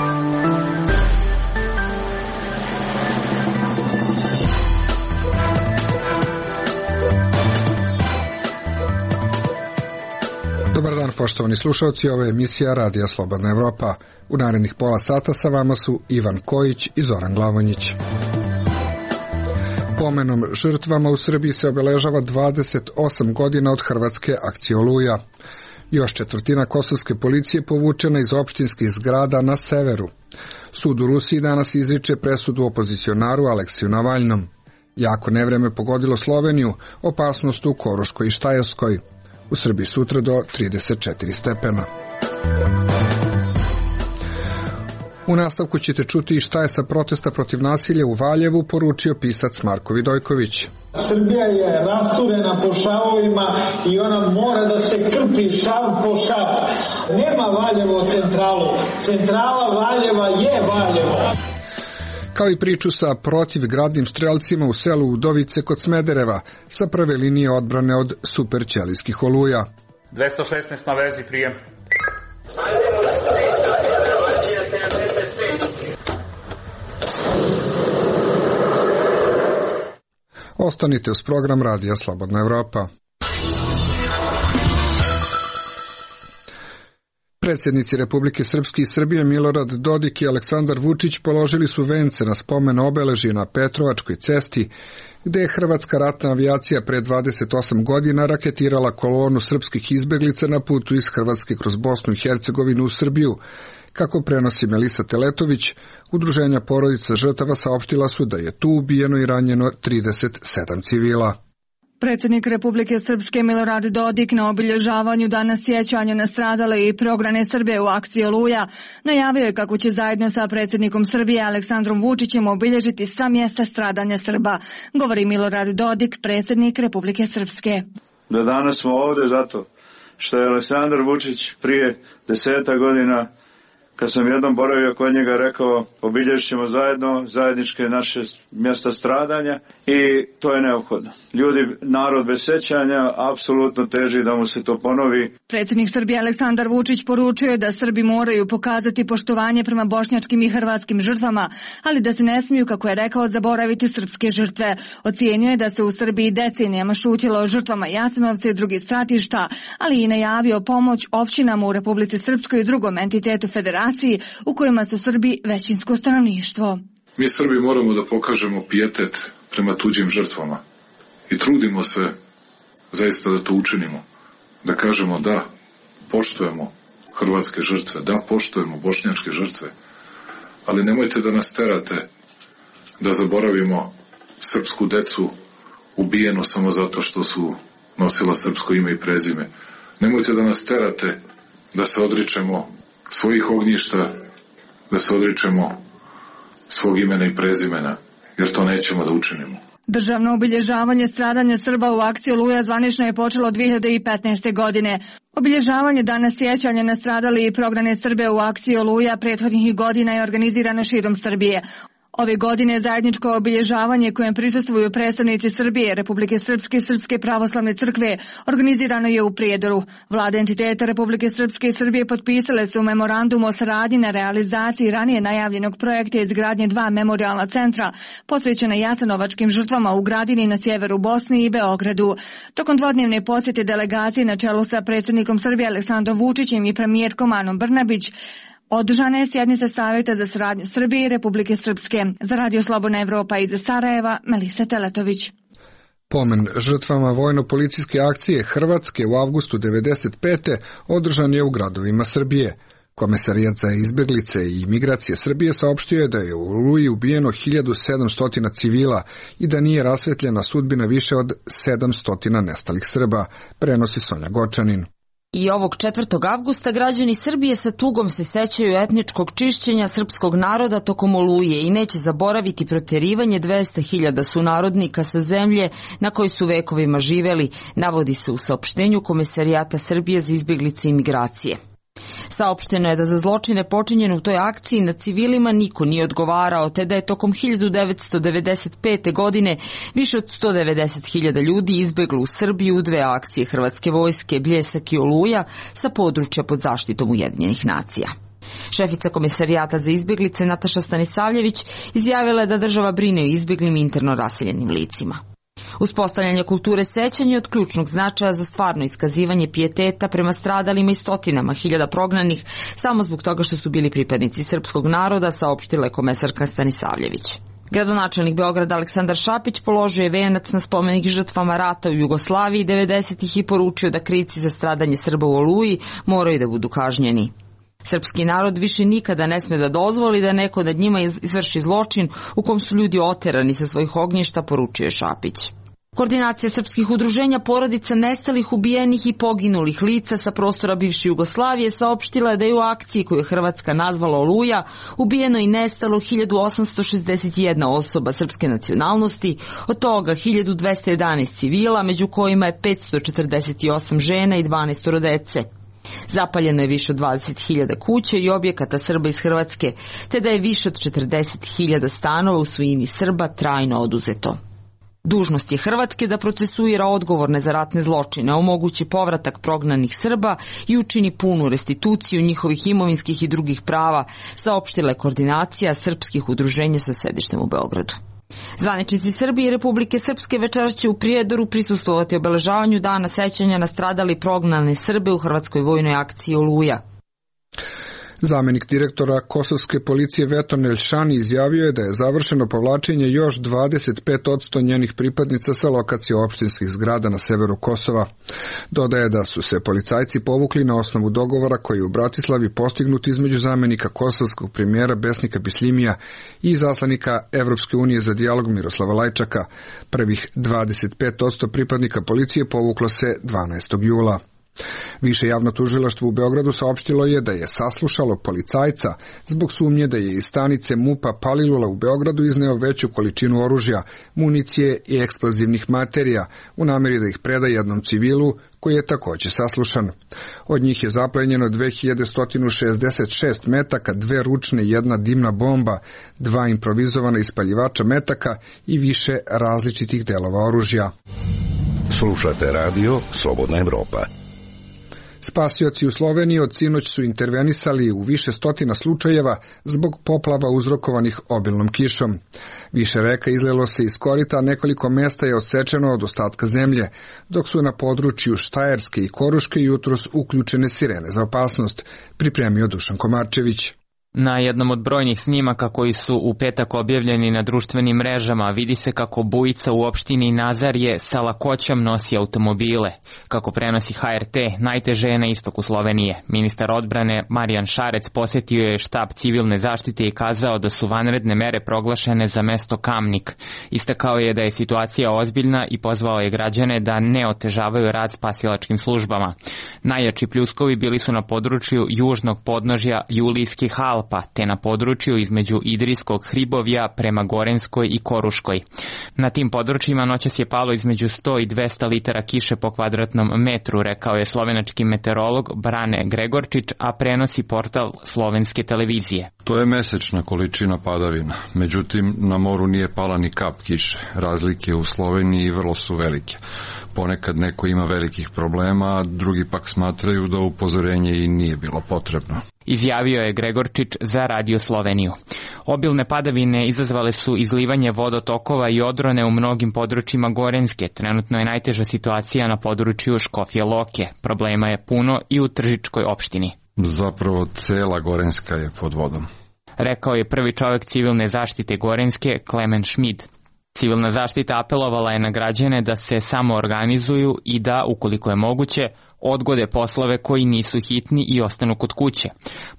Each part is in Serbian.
Dobar dan, poštovani slušalci, ovo je emisija Radija Slobodna Evropa. U narednih pola sata sa vama su Ivan Kojić i Zoran Glavonjić. Pomenom žrtvama u Srbiji se obeležava 28 godina od hrvatske akcije Oluja. Još četvrtina kosovske policije povučena iz opštinskih zgrada na severu. Sud u Rusiji danas izriče presudu opozicionaru Aleksiju Navalnom. Jako nevreme pogodilo Sloveniju, opasnost u Koruškoj i Štajerskoj. U Srbiji sutra do 34 stepena. U nastavku ćete čuti i šta je sa protesta protiv nasilja u Valjevu poručio pisac Marko Vidojković. Srbija je rasturena po šavovima i ona mora da se krpi šav po šav. Nema Valjevo centralu. Centrala Valjeva je Valjevo. Kao i priču sa protivgradnim strelcima u selu Udovice kod Smedereva sa prve linije odbrane od superćelijskih oluja. 216 na vezi, prijem. Ostanite uz program Radija Slobodna Evropa. Predsjednici Republike Srpske i Srbije Milorad Dodik i Aleksandar Vučić položili su vence na spomen obeležje na Petrovačkoj cesti, gde je hrvatska ratna avijacija pre 28 godina raketirala kolonu srpskih izbeglica na putu iz Hrvatske kroz Bosnu i Hercegovinu u Srbiju. Kako prenosi Melisa Teletović, udruženja porodica žrtava saopštila su da je tu ubijeno i ranjeno 37 civila. Predsjednik Republike Srpske Milorad Dodik na obilježavanju Dana sjećanja na stradale i prognane Srbe u akciji Oluja najavio je kako će zajedno sa predsjednikom Srbije Aleksandrom Vučićem obilježiti sva mjesta stradanja Srba, govori Milorad Dodik, predsjednik Republike Srpske. Da danas smo ovdje zato što je Aleksandar Vučić prije 10 godina, kad sam jednom boravio kod njega, rekao obilježit ćemo zajedno zajedničke naše mjesta stradanja i to je neophodno. Ljudi, narod bez sjećanja apsolutno teži da mu se to ponovi. Predsjednik Srbije Aleksandar Vučić poručio je da Srbi moraju pokazati poštovanje prema bošnjačkim i hrvatskim žrtvama, ali da se ne smiju, kako je rekao, zaboraviti srpske žrtve. Ocijenio je da se u Srbiji decenijama šutjelo o žrtvama Jasenovca i drugih stratišta, ali i najavio pomoć općinama u Republici Srpskoj i drugom entitetu federacije u kojima su Srbi većinsko stanovništvo. Mi Srbi moramo da pokažemo pijetet prema tuđim žrtvama i trudimo se zaista da to učinimo. Da kažemo da poštujemo hrvatske žrtve, da poštujemo bošnjačke žrtve, ali nemojte da nas terate da zaboravimo srpsku decu ubijenu samo zato što su nosila srpsko ime i prezime. Nemojte da nas terate da se odričemo svojih ognjišta, da se odričemo svog imena i prezimena, jer to nećemo da učinimo. Državno obilježavanje stradanja Srba u akciji Oluja zvanično je počelo 2015. godine. Obilježavanje Dana sjećanja na stradale i prognane Srbe u akciji Oluja prethodnih godina je organizirano širom Srbije. Ove godine zajedničko obilježavanje kojem prisustvuju predstavnici Srbije, Republike Srpske i Srpske pravoslavne crkve organizirano je u Prijedoru. Vlade entiteta Republike Srpske i Srbije potpisale su memorandum o saradnji na realizaciji ranije najavljenog projekta izgradnje 2 memorijalna centra posvećena jasenovačkim žrtvama u Gradini na sjeveru Bosne i Beogradu. Tokom dvodnevne posjete delegacije na čelu sa predsjednikom Srbije Aleksandrom Vučićem i premijerkom Anom Brnabić održana je sjednica Savjeta za saradnju Srbije i Republike Srpske. Za Radio Slobodna Evropa iz Sarajeva, Melisa Teletović. Pomen žrtvama vojno-policijske akcije Hrvatske u avgustu 1995. održan je u gradovima Srbije. Komesarijat za izbeglice i imigracije Srbije saopštio je da je u Oluji ubijeno 1700 civila i da nije rasvetljena sudbina više od 700 nestalih Srba, prenosi Sonja Gočanin. I ovog 4. avgusta građani Srbije sa tugom se sećaju etničkog čišćenja srpskog naroda tokom Oluje i neće zaboraviti proterivanje 200.000 sunarodnika sa zemlje na kojoj su vekovima živeli, navodi se u saopštenju Komesarijata Srbije za izbjeglice i migracije. Saopšteno je da za zločine počinjene u toj akciji na civilima niko nije odgovarao, te da je tokom 1995. godine više od 190.000 ljudi izbeglo u Srbiju u 2 akcije hrvatske vojske, Bljesak i Oluja, sa područja pod zaštitom Ujedinjenih nacija. Šefica Komesarijata za izbjeglice Nataša Stanisavljević izjavila je da država brine o izbjeglim i interno raseljenim licima. Uspostavljanje kulture sećanja je od ključnog značaja za stvarno iskazivanje pijeteta prema stradalima i stotinama hiljada prognanih samo zbog toga što su bili pripadnici srpskog naroda, saopštila je komesarka Stanisavljević. Gradonačelnik Beograda Aleksandar Šapić položio je venac na spomenik žrtvama rata u Jugoslaviji 90-ih i poručio da krivci za stradanje Srba u Oluji moraju da budu kažnjeni. Srpski narod više nikada ne sme da dozvoli da neko nad njima izvrši zločin u kom su ljudi oterani sa svojih ognjišta, poručio je Šapić. Koordinacija srpskih udruženja porodica nestalih, ubijenih i poginulih lica sa prostora bivše Jugoslavije saopštila da je u akciji koju je Hrvatska nazvala Oluja ubijeno i nestalo 1861 osoba srpske nacionalnosti, od toga 1211 civila, među kojima je 548 žena i 12 dece. Zapaljeno je više od 20.000 kuća i objekata Srba iz Hrvatske, te da je više od 40.000 stanova u svojini Srba trajno oduzeto. Dužnost je Hrvatske da procesuira odgovorne za ratne zločine, omogući povratak prognanih Srba i učini punu restituciju njihovih imovinskih i drugih prava, saopštila je koordinacija srpskih udruženja sa sedištem u Beogradu. Zvaničnici Srbije i Republike Srpske večeras će u Prijedoru prisustvovati obeležavanju dana sećanja na stradali prognane Srbe u hrvatskoj vojnoj akciji Oluja. Zamenik direktora kosovske policije Veton Elšani izjavio je da je završeno povlačenje još 25% njenih pripadnica sa lokacije opštinskih zgrada na severu Kosova. Dodaje da su se policajci povukli na osnovu dogovora koji je u Bratislavi postignut između zamenika kosovskog premijera Besnika Bislimija i zaslanika Evropske unije za dijalog Miroslava Lajčaka. Prvih 25% pripadnika policije povuklo se 12. jula. Više javno tužilaštvo u Beogradu saopštilo je da je saslušalo policajca zbog sumnje da je iz stanice MUP-a Palilula u Beogradu izneo veću količinu oružja, municije i eksplozivnih materija u nameri da ih preda jednom civilu koji je također saslušan. Od njih je zaplenjeno 2166 metaka, 2 ručne i 1 dimna bomba, 2 improvizovana ispaljivača metaka i više različitih delova oružja. Slušate radio Slobodna Evropa. Spasioci u Sloveniji od sinoć su intervenisali u više stotina slučajeva zbog poplava uzrokovanih obilnom kišom. Više reka izlilo se iz korita, nekoliko mesta je odsečeno od ostatka zemlje, dok su na području Štajerske i Koruške jutros uključene sirene za opasnost, pripremio Dušan Komarčević. Na jednom od brojnih snimaka koji su u petak objavljeni na društvenim mrežama vidi se kako bujica u opštini Nazarje sa lakoćom nosi automobile. Kako prenosi HRT, najteže je na istoku Slovenije. Ministar odbrane Marijan Šarec posjetio je štab civilne zaštite i kazao da su vanredne mere proglašene za mesto Kamnik. Istakao je da je situacija ozbiljna i pozvao je građane da ne otežavaju rad spasilačkim službama. Najjači pljuskovi bili su na području južnog podnožja Julijskih Alpa, te na području između Idrijskog hribovja prema Gorenskoj i Koruškoj. Na tim područjima noćas je palo između 100 i 200 litara kiše po kvadratnom metru, rekao je slovenački meteorolog Brane Gregorčić, a prenosi portal slovenske televizije. To je mesečna količina padavina, međutim na moru nije pala ni kap kiše. Razlike u Sloveniji vrlo su velike. Ponekad neko ima velikih problema, a drugi pak smatraju da upozorenje i nije bilo potrebno. Izjavio je Gregorčić za Radio Sloveniju. Obilne padavine izazvale su izlivanje vodotokova i odrone u mnogim područjima Gorenske. Trenutno je najteža situacija na području Škofje Loke. Problema je puno i u Tržičkoj opštini. Zapravo cela Gorenska je pod vodom, rekao je prvi čovjek civilne zaštite Gorenske, Klemen Šmid. Civilna zaštita apelovala je na građane da se samo organizuju i da, ukoliko je moguće, odgode poslove koji nisu hitni i ostanu kod kuće.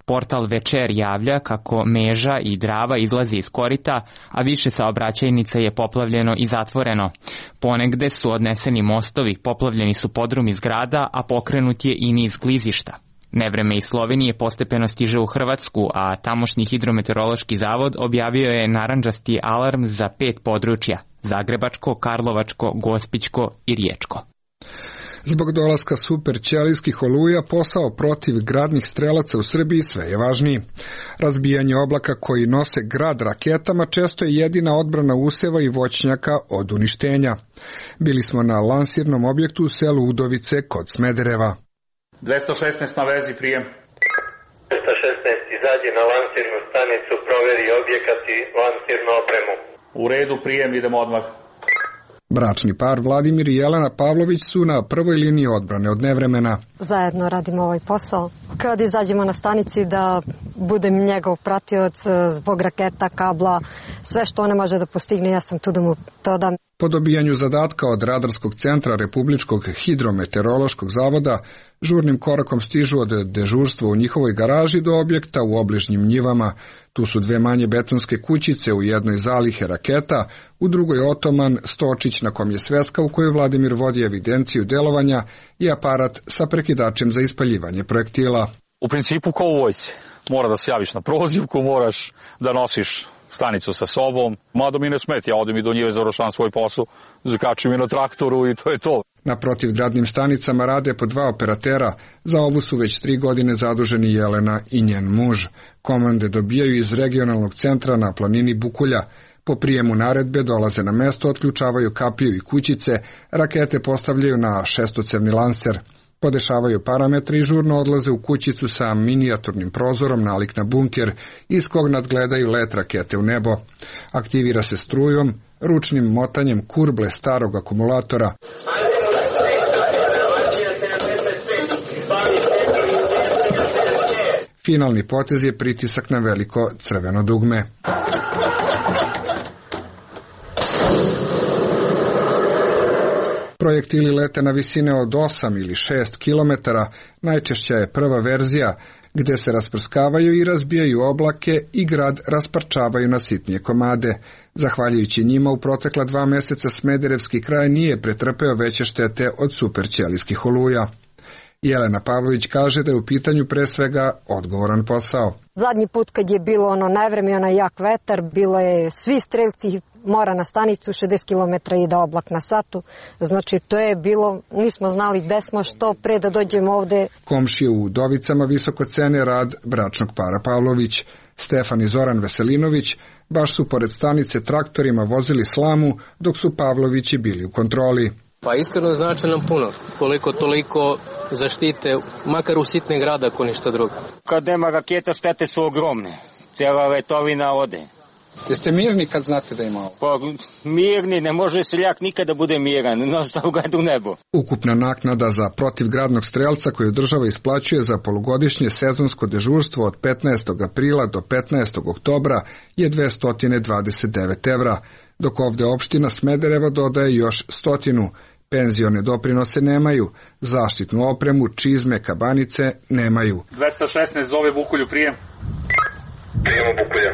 Portal Večer javlja kako Meža i Drava izlazi iz korita, a više saobraćajnica je poplavljeno i zatvoreno. Ponegde su odneseni mostovi, poplavljeni su podrumi zgrada, a pokrenut je i niz klizišta. Nevreme iz Slovenije postepeno stiže u Hrvatsku, a tamošnji hidrometeorološki zavod objavio je narandžasti alarm za 5 područja: Zagrebačko, Karlovačko, Gospićko i Riječko. Zbog dolaska superćelijskih oluja, posao protiv gradnih strelaca u Srbiji sve je važniji. Razbijanje oblaka koji nose grad raketama često je jedina odbrana useva i voćnjaka od uništenja. Bili smo na lansirnom objektu u selu Udovice kod Smedereva. 216 na vezi, prijem. 216 izađi na lansirnu stanicu, proveri objekat i lansirnu opremu. U redu, prijem, idemo odmah. Bračni par Vladimir i Jelena Pavlović su na prvoj liniji odbrane od nevremena. Zajedno radimo ovaj posao. Kad izađemo na stanici da budem njegov pratioc zbog raketa, kabla, sve što ona može da postigne, ja sam tu da mu to dam. Po dobijanju zadatka od Radarskog centra Republičkog hidrometeorološkog zavoda, žurnim korakom stižu od dežurstva u njihovoj garaži do objekta u obližnjim njivama. Tu su dve manje betonske kućice, u jednoj zalihe raketa, u drugoj otoman, stočić na kom je sveska u kojoj Vladimir vodi evidenciju delovanja i aparat sa prekidačem za ispaljivanje projektila. U principu kao u vojsci. Mora da se javiš na prozivku, moraš da nosiš stanicu sa sobom. Mada mi ne smeti, ja odem i do njive, završavam svoj posao, zakačim je na traktoru i to je to. Na protivgradnim stanicama rade po 2 operatera, za ovu su već 3 godine zaduženi Jelena i njen muž. Komande dobijaju iz regionalnog centra na planini Bukulja. Po prijemu naredbe dolaze na mesto, otključavaju kapiju i kućice, rakete postavljaju na šestocevni lanser. Podešavaju parametre i žurno odlaze u kućicu sa minijaturnim prozorom nalik na bunker, iz kog nadgledaju let rakete u nebo. Aktivira se strujom, ručnim motanjem kurble starog akumulatora. Finalni potez je pritisak na veliko crveno dugme. Projektili lete na visine od 8 ili 6 kilometara, najčešća je prva verzija, gde se rasprskavaju i razbijaju oblake i grad rasparčavaju na sitnije komade. Zahvaljujući njima, u protekla 2 meseca Smederevski kraj nije pretrpeo veće štete od superćelijskih oluja. Jelena Pavlović kaže da je u pitanju pre svega odgovoran posao. Zadnji put kad je bilo ono nevreme, onaj jak vetar, bilo je svi strelci mora na stanicu 60 km ide oblak na satu. Znači to je bilo, nismo znali gde smo, što pre da dođemo ovde. Komšije u Udovicama visoko cene rad bračnog para Pavlović. Stefan i Zoran Veselinović baš su pored stanice traktorima vozili slamu dok su Pavlovići bili u kontroli. Pa iskreno znači nam puno, koliko toliko zaštite, makar u sitne grada ako ništa drugo. Kad nema raketa štete su ogromne, cijela letovina ode. Jeste mirni kad znate da ima ovo? Pa mirni, ne može seljak nikada bude miran, jednostavno gleda u nebo. Ukupna naknada za protivgradnog strelca koju država isplaćuje za polugodišnje sezonsko dežurstvo od 15. aprila do 15. oktobra je 229 evra, dok ovde opština Smederevo dodaje još 100. Penzione doprinose nemaju, zaštitnu opremu, čizme, kabanice nemaju. 216 zove Bukulju, prijem. Prijem u Bukulja.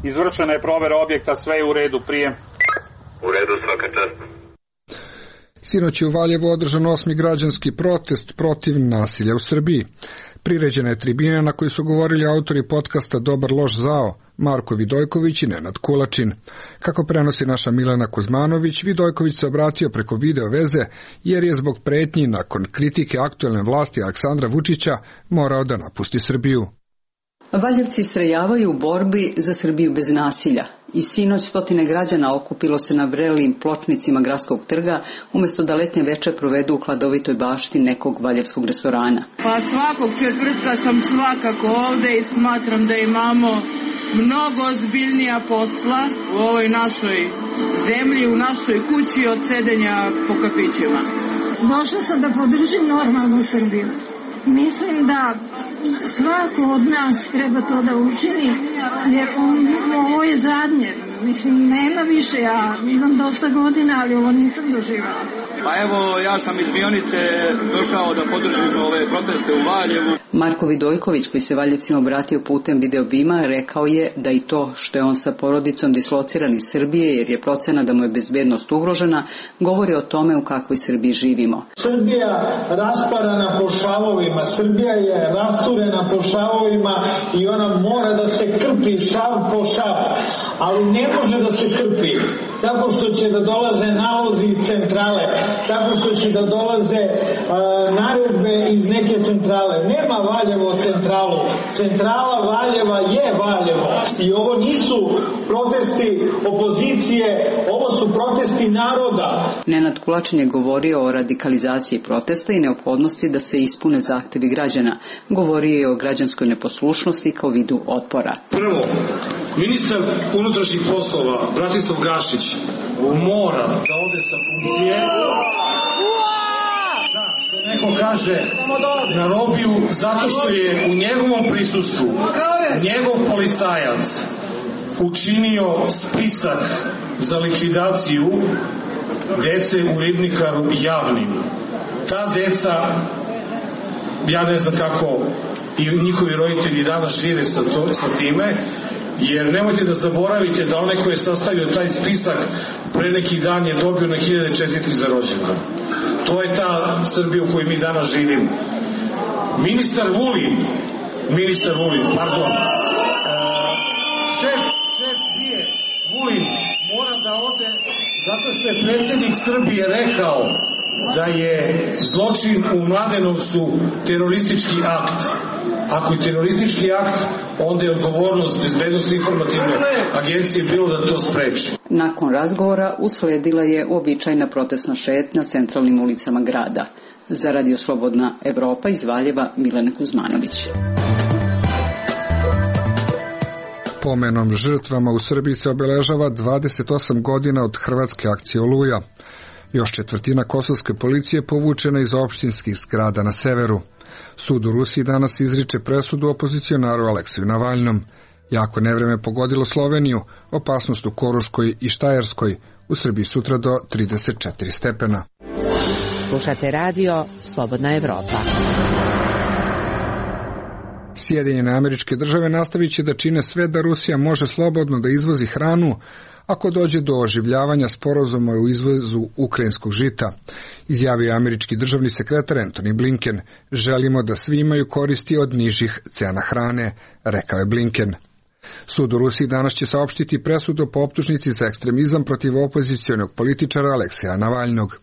Izvršena je provera objekta, sve je u redu, prijem. U redu, svaka čast. Sinoć je u Valjevu održan 8. građanski protest protiv nasilja u Srbiji. Priređena je tribina na kojoj su govorili autori podcasta Dobar loš zao, Marko Vidojković i Nenad Kulačin. Kako prenosi naša Milena Kuzmanović, Vidojković se obratio preko video veze jer je zbog pretnji nakon kritike aktuelne vlasti Aleksandra Vučića morao da napusti Srbiju. Valjevci istrajavaju u borbi za Srbiju bez nasilja. I sinoć stotine građana okupilo se na vrelim pločnicima gradskog trga, umjesto da letnje večer provedu u hladovitoj bašti nekog valjevskog restorana. Pa svakog četvrtka sam svakako ovde i smatram da imamo mnogo ozbiljnija posla u ovoj našoj zemlji, u našoj kući od sedenja po kafićima. Došla sam da podržim normalnu Srbiju. Mislim da svako od nas treba to da učini, jer ovo je zadnje. Mislim, nema više, ja imam dosta godina, ali ovo nisam doživjela. Pa evo, ja sam iz Mionice došao da podržim ove proteste u Valjevu. Marko Vidojković, koji se Valjevcima obratio putem videobima, rekao je da i to što je on sa porodicom dislociran iz Srbije, jer je procena da mu je bezbednost ugrožena, govori o tome u kakvoj Srbiji živimo. Srbija rasparana po šavovima, Srbija je rasturena po šavovima i ona mora da se krpi šav po šav, ali ne može da se krpi tako što će da dolaze nalozi iz centrale, tako što će da dolaze naredbe iz neke centrale. Nema Valjevo centralu. Centrala Valjeva je Valjevo. I ovo nisu protesti opozicije, ovo su protesti naroda. Nenad Kulačin je govorio o radikalizaciji protesta i neophodnosti da se ispune zahtevi građana. Govorio je o građanskoj neposlušnosti kao vidu otpora. Prvo, ministar unutrašnjih poslova Bratislav Gašić mora da ode sa funkcije, što neko kaže, na robiju, zato što je u njegovom prisustvu njegov policajac učinio spisak za likvidaciju dece u Ribnikaru javnim. Ta deca, ja ne znam kako i njihovi roditelji danas žive sa time, jer nemojte da zaboravite da onaj koji je sastavio taj spisak pre neki dan je dobio na 1000 čestitki za rođendan. To je ta Srbija u kojoj mi danas živimo. Ministar Vulin, šef BIA Vulin mora da ode zato što je predsjednik Srbije rekao da je zločin u Mladenovcu teroristički akt. Ako je teroristički akt, onda je odgovornost Bezbednosne informativne agencije bilo da to spreči. Nakon razgovora usledila je uobičajena protestna šetnja centralnim ulicama grada. Za Radio Slobodna Evropa iz Valjeva, Milena Kuzmanović. Pomenom žrtvama u Srbiji se obeležava 28 godina od hrvatske akcije Oluja. Još četvrtina kosovske policije povučena iz opštinskih zgrada na severu. Sud u Rusiji danas izriče presudu opozicionaru Alekseju Navalnom. Jako nevreme pogodilo Sloveniju, opasnost u Koruškoj i Štajerskoj, u Srbiji sutra do 34 stepena. Slušate radio Slobodna Evropa. Sjedinjene Američke Države nastavit će da čine sve da Rusija može slobodno da izvozi hranu ako dođe do oživljavanja sporazuma u izvozu ukrajinskog žita, izjavio je američki državni sekretar Antony Blinken. Želimo da svi imaju koristi od nižih cena hrane, rekao je Blinken. Sud u Rusiji danas će saopštiti presudu po optužnici za ekstremizam protiv opozicionog političara Alekseja Navalnog.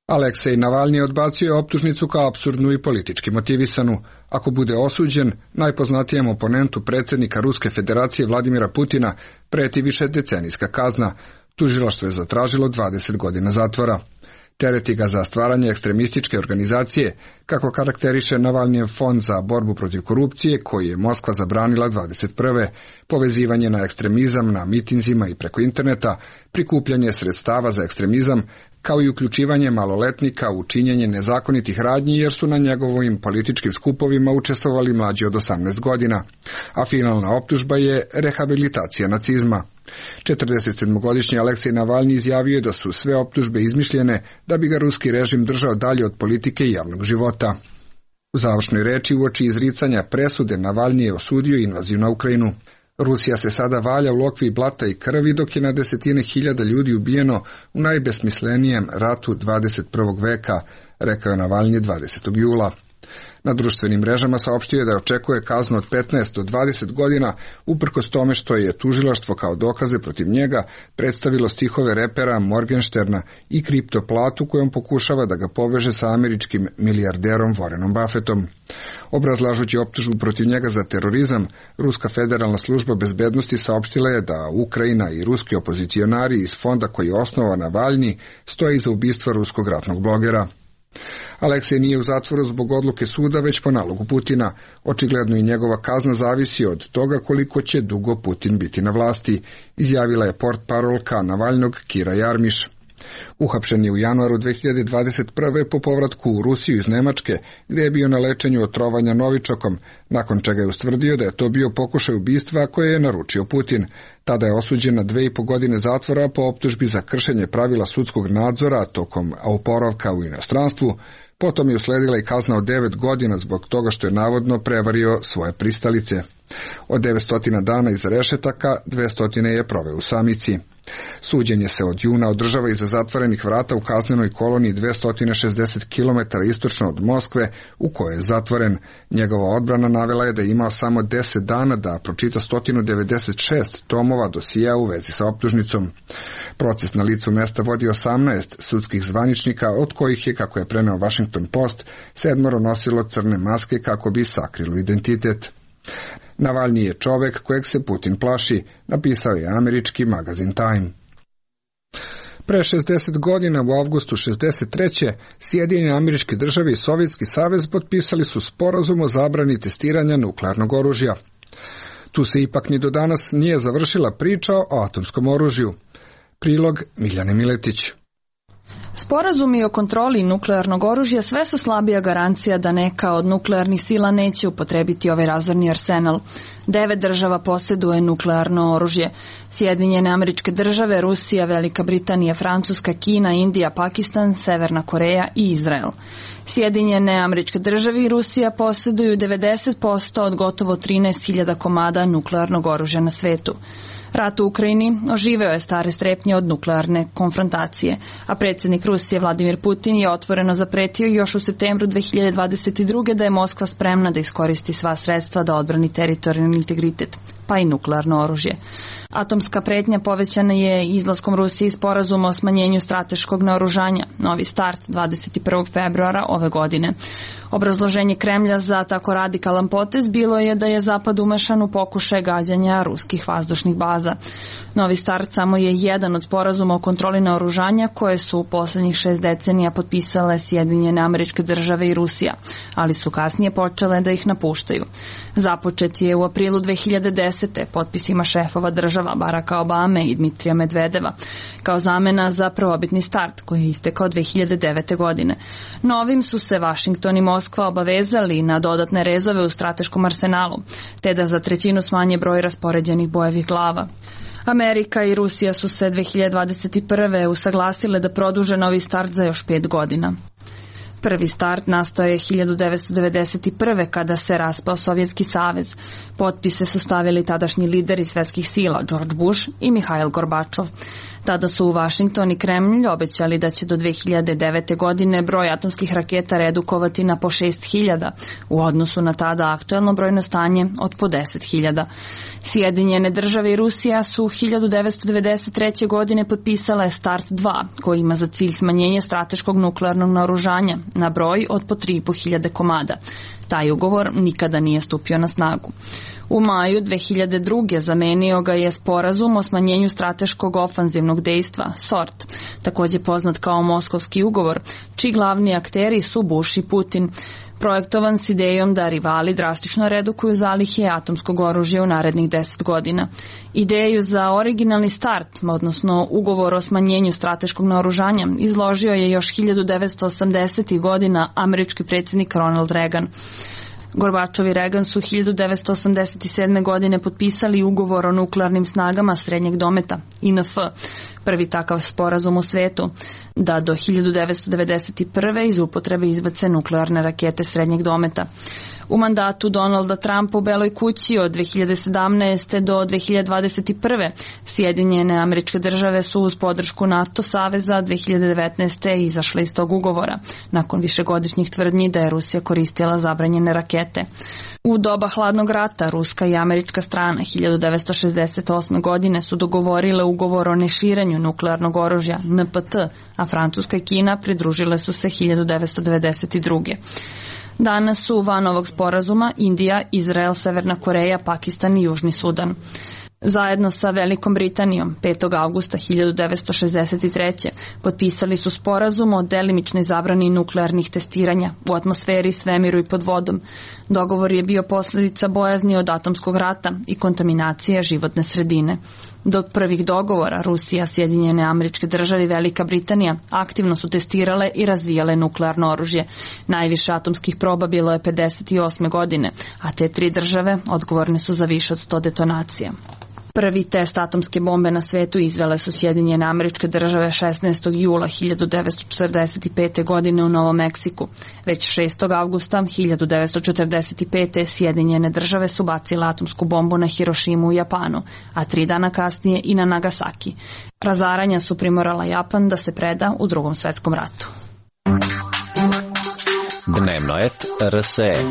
Aleksej Navalni odbacio je optužnicu kao apsurdnu i politički motivisanu. Ako bude osuđen, najpoznatijem oponentu predsjednika Ruske federacije Vladimira Putina preti višedecenijska kazna. Tužilaštvo je zatražilo 20 godina zatvora. Tereti ga za stvaranje ekstremističke organizacije, kako karakteriše Navalnijev fond za borbu protiv korupcije, koji je Moskva zabranila 21. Povezivanje na ekstremizam na mitinzima i preko interneta, prikupljanje sredstava za ekstremizam, kao i uključivanje maloletnika u činjenje nezakonitih radnji jer su na njegovim političkim skupovima učestvovali mlađi od 18 godina. A finalna optužba je rehabilitacija nacizma. 47-godišnji Aleksej Navalni izjavio je da su sve optužbe izmišljene da bi ga ruski režim držao dalje od politike i javnog života. U završnoj reči uoči izricanja presude Navalni je osudio invaziju na Ukrajinu. Rusija se sada valja u lokvi blata i krvi dok je na desetine hiljada ljudi ubijeno u najbesmislenijem ratu 21. veka, rekao je Navalni 20. jula. Na društvenim mrežama saopštio je da očekuje kaznu od 15 do 20 godina, uprkos tome što je tužilaštvo kao dokaze protiv njega predstavilo stihove repera Morgensterna i kriptoplatu kojom pokušava da ga poveže sa američkim milijarderom Warrenom Buffettom. Obrazlažući optužbu protiv njega za terorizam, Ruska federalna služba bezbednosti saopštila je da Ukrajina i ruski opozicionari iz fonda koji je osnovao Navalni stoje iza ubistva ruskog ratnog blogera. Aleksej nije u zatvoru zbog odluke suda, već po nalogu Putina. Očigledno i njegova kazna zavisi od toga koliko će dugo Putin biti na vlasti, izjavila je portparolka Navalnog Kira Jarmiš. Uhapšen je u januaru 2021. po povratku u Rusiju iz Nemačke, gdje je bio na lečenju od trovanja novičokom, nakon čega je ustvrdio da je to bio pokušaj ubistva koje je naručio Putin. Tada je osuđen na 2,5 godine zatvora po optužbi za kršenje pravila sudskog nadzora tokom oporavka u inostranstvu. Potom je usledila i kazna od 9 godina zbog toga što je navodno prevario svoje pristalice. Od 900 dana iza rešetaka, 200 je proveo u samici. Suđenje se od juna održava iza zatvorenih vrata u kaznenoj koloniji 260 km istočno od Moskve, u kojoj je zatvoren. Njegova odbrana navela je da je imao samo 10 dana da pročita 196 tomova dosija u vezi sa optužnicom. Proces na licu mesta vodi 18 sudskih zvaničnika, od kojih je, kako je preneo Washington Post, 7 nosilo crne maske kako bi sakrilo identitet. Navalnji je čovek kojeg se Putin plaši, napisao je američki magazin Time. Pre 60 godina, u avgustu 63. Sjedinjene Američke Države i Sovjetski savez potpisali su sporazum o zabrani testiranja nuklearnog oružja. Tu se ipak ni do danas nije završila priča o atomskom oružju. Prilog Miljane Miletić. Sporazumi o kontroli nuklearnog oružja sve su slabija garancija da neka od nuklearnih sila neće upotrebiti ovaj razorni arsenal. 9 država posjeduje nuklearno oružje. Sjedinjene Američke Države, Rusija, Velika Britanija, Francuska, Kina, Indija, Pakistan, Severna Koreja i Izrael. Sjedinjene Američke Države i Rusija posjeduju 90% od gotovo 13.000 komada nuklearnog oružja na svetu. Rat u Ukrajini oživeo je stare strepnje od nuklearne konfrontacije, a predsjednik Rusije Vladimir Putin je otvoreno zapretio još u septembru 2022. da je Moskva spremna da iskoristi sva sredstva da odbrani teritorijalni integritet, pa i nuklearno oružje. Atomska pretnja povećana je izlaskom Rusije iz sporazuma o smanjenju strateškog naoružanja, novi start 21. februara ove godine. Obrazloženje Kremlja za tako radikalan potez bilo je da je Zapad umešan u pokušaj gađanja ruskih vazdušnih baza. Novi start samo je jedan od sporazuma o kontroli naoružanja koje su u poslednjih 6 decenija potpisale Sjedinjene Američke Države i Rusija, ali su kasnije počele da ih napuštaju. Započet je u aprilu 2010. potpisima šefova država Baracka Obame i Dmitrija Medvedeva, kao zamena za prvobitni start koji je istekao 2009. godine. Novim su se Washington i Moskva obavezali na dodatne rezove u strateškom arsenalu, te da za 1/3 smanje broj raspoređenih bojevih glava. Amerika i Rusija su se 2021. usaglasile da produže novi start za još 5 godina. Prvi start nastao je 1991. kada se raspao Sovjetski savez. Potpise su stavili tadašnji lideri svetskih sila George Bush i Mihail Gorbačov. Tada su u Washington i Kremlj obećali da će do 2009. godine broj atomskih raketa redukovati na po 6.000 u odnosu na tada aktuelno brojno stanje od po 10.000. Sjedinjene Države i Rusija su 1993. godine potpisale Start 2, koji ima za cilj smanjenje strateškog nuklearnog naoružanja na broj od po 3.500 komada. Taj ugovor nikada nije stupio na snagu. U maju 2002. zamenio ga je sporazum o smanjenju strateškog ofanzivnog dejstva, SORT, takođe poznat kao Moskovski ugovor, čiji glavni akteri su Bush i Putin, projektovan s idejom da rivali drastično redukuju zalihe atomskog oružja u narednih 10 godina. Ideju za originalni start, odnosno ugovor o smanjenju strateškog naoružanja, izložio je još 1980. godina američki predsjednik Ronald Reagan. Gorbačov i Reagan su 1987. godine potpisali ugovor o nuklearnim snagama srednjeg dometa, INF, prvi takav sporazum u svetu, da do 1991. iz upotrebe izbace nuklearne rakete srednjeg dometa. U mandatu Donalda Trumpa u Beloj kući od 2017. do 2021. Sjedinjene Američke Države su uz podršku NATO saveza 2019. izašle iz tog ugovora, nakon višegodišnjih tvrdnji da je Rusija koristila zabranjene rakete. U doba hladnog rata ruska i američka strana 1968. godine su dogovorile ugovor o neširanju nuklearnog oružja NPT, a Francuska i Kina pridružile su se 1992. Danas su van ovog sporazuma Indija, Izrael, Severna Koreja, Pakistan i Južni Sudan. Zajedno sa Velikom Britanijom 5. augusta 1963. potpisali su sporazum o delimičnoj zabrani nuklearnih testiranja u atmosferi, svemiru i pod vodom. Dogovor je bio posljedica bojazni od atomskog rata i kontaminacije životne sredine. Do prvih dogovora Rusija, Sjedinjene Američke Države i Velika Britanija aktivno su testirale i razvijale nuklearno oružje. Najviše atomskih proba bilo je 58. godine, a te 3 države odgovorne su za više od 100 detonacija. Prvi test atomske bombe na svetu izvele su Sjedinjene Američke Države 16. jula 1945. godine u Novom Meksiku. Već 6. avgusta 1945. Sjedinjene Države su bacile atomsku bombu na Hirošimu u Japanu, a 3 dana kasnije i na Nagasaki. Razaranja su primorala Japan da se preda u Drugom svetskom ratu. Dnevnoet RSE.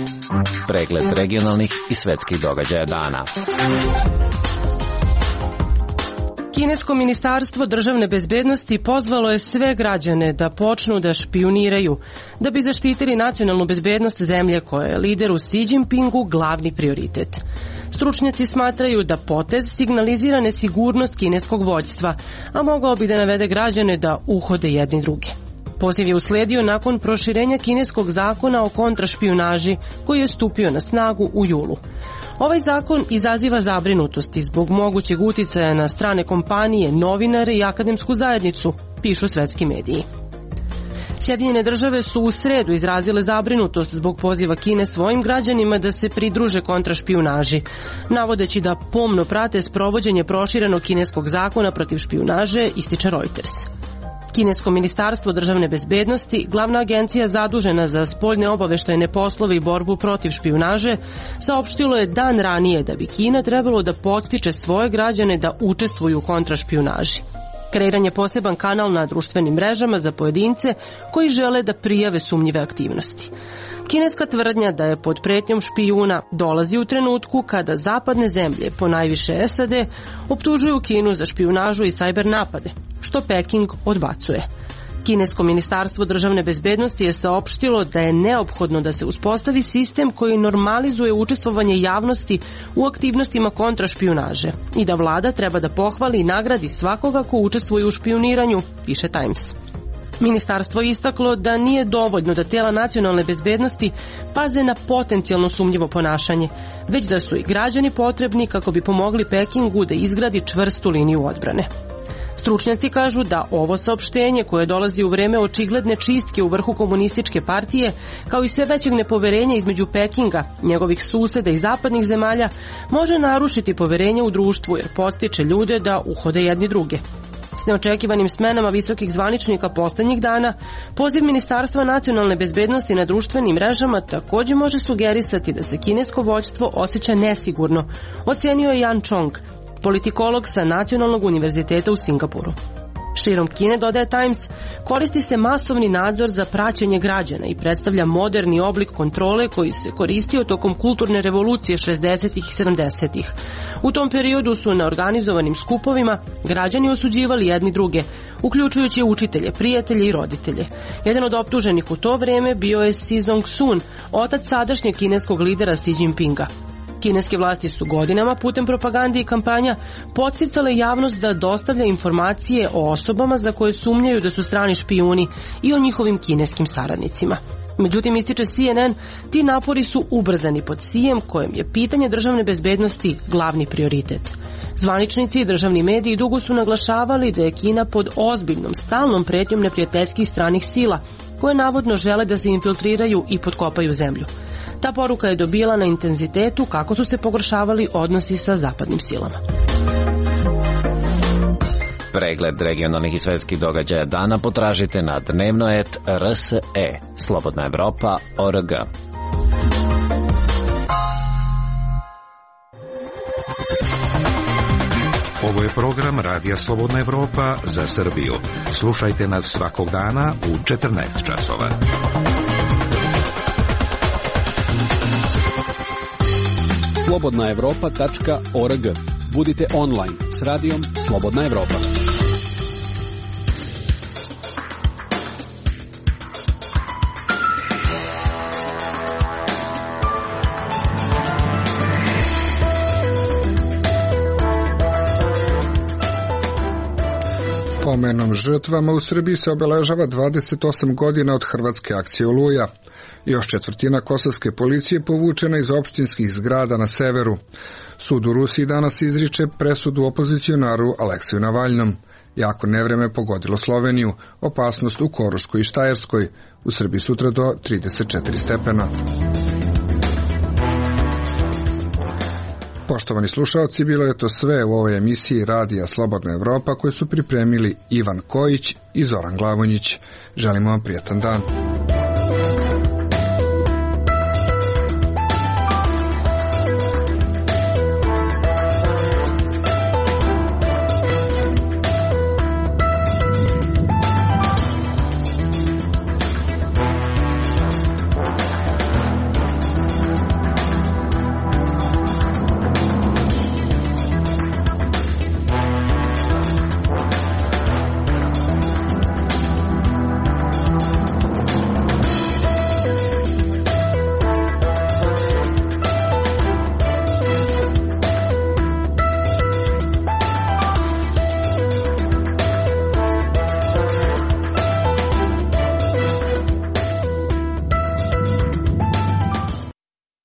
Pregled regionalnih i svetskih događaja dana. Kinesko ministarstvo državne bezbednosti pozvalo je sve građane da počnu da špijuniraju, da bi zaštitili nacionalnu bezbednost zemlje koja je lideru Xi Jinpingu glavni prioritet. Stručnjaci smatraju da potez signalizira nesigurnost kineskog vođstva, a mogao bi da navede građane da uhode jedni druge. Poziv je usledio nakon proširenja kineskog zakona o kontrašpijunaži koji je stupio na snagu u julu. Ovaj zakon izaziva zabrinutosti zbog mogućeg uticaja na strane kompanije, novinare i akademsku zajednicu, pišu svetski mediji. Sjedinjene države su u sredu izrazile zabrinutost zbog poziva Kine svojim građanima da se pridruže kontrašpijunaži, navodeći da pomno prate sprovođenje proširenog kineskog zakona protiv špijunaže, ističe Reuters. Kinesko ministarstvo državne bezbednosti, glavna agencija zadužena za spoljne obaveštajne poslove i borbu protiv špijunaže, saopštilo je dan ranije da bi Kina trebalo da podstiče svoje građane da učestvuju u kontrašpijunaži. Kreiran je poseban kanal na društvenim mrežama za pojedince koji žele da prijave sumnjive aktivnosti. Kineska tvrdnja da je pod pretnjom špijuna dolazi u trenutku kada zapadne zemlje, ponajviše SAD, optužuju Kinu za špijunažu i sajber napade, što Peking odbacuje. Kinesko ministarstvo državne bezbednosti je saopštilo da je neophodno da se uspostavi sistem koji normalizuje učestvovanje javnosti u aktivnostima kontrašpijunaže i da vlada treba da pohvali i nagradi svakoga ko učestvuje u špijuniranju, piše Times. Ministarstvo je istaklo da nije dovoljno da tijela nacionalne bezbednosti paze na potencijalno sumnjivo ponašanje, već da su i građani potrebni kako bi pomogli Pekingu da izgradi čvrstu liniju odbrane. Stručnjaci kažu da ovo saopštenje, koje dolazi u vreme očigledne čistke u vrhu komunističke partije, kao i sve većeg nepoverenja između Pekinga, njegovih suseda i zapadnih zemalja, može narušiti poverenje u društvu jer podstiče ljude da uhode jedni druge. S neočekivanim smenama visokih zvaničnika poslednjih dana, poziv Ministarstva nacionalne bezbednosti na društvenim mrežama takođe može sugerisati da se kinesko vođstvo osjeća nesigurno, ocenio je Yan Chong, politikolog sa Nacionalnog univerziteta u Singapuru. Širom Kine, dodaje Times, koristi se masovni nadzor za praćenje građana i predstavlja moderni oblik kontrole koji se koristio tokom kulturne revolucije 60. i 70. U tom periodu su na organizovanim skupovima građani osuđivali jedni druge, uključujući učitelje, prijatelje i roditelje. Jedan od optuženih u to vreme bio je Xi Zongsun, otac sadašnjeg kineskog lidera Xi Jinpinga. Kineske vlasti su godinama putem propagande i kampanja podsticale javnost da dostavlja informacije o osobama za koje sumnjaju da su strani špijuni i o njihovim kineskim saradnicima. Međutim, ističe CNN, ti napori su ubrzani pod Xijem, kojem je pitanje državne bezbednosti glavni prioritet. Zvaničnici i državni mediji dugo su naglašavali da je Kina pod ozbiljnom, stalnom pretnjom neprijateljskih stranih sila, koje navodno žele da se infiltriraju i potkopaju zemlju. Ta poruka je dobila na intenzitetu kako su se pogoršavali odnosi sa zapadnim silama. Pregled regionalnih i svetskih događaja dana potražite na dnevnoet.rse, slobodnaevropa.org. Ovo je program Radija Slobodna Evropa za Srbiju. Slušajte nas svakog dana u 14 časova. slobodnaevropa.org. Budite online s radijom Slobodna Evropa. Pomenom žrtvama u Srbiji se obeležava 28 godina od hrvatske akcije Oluja. Još četvrtina kosovske policije povučena iz opštinskih zgrada na severu. Sud u Rusiji danas izriče presudu opozicionaru Aleksiju Navalnom. Jako nevreme pogodilo Sloveniju, opasnost u Koruškoj i Štajerskoj, u Srbiji sutra do 34 stepena. Poštovani slušaoci, bilo je to sve u ovoj emisiji Radija Slobodna Evropa koju su pripremili Ivan Kojić i Zoran Glavonjić. Želimo vam prijatan dan.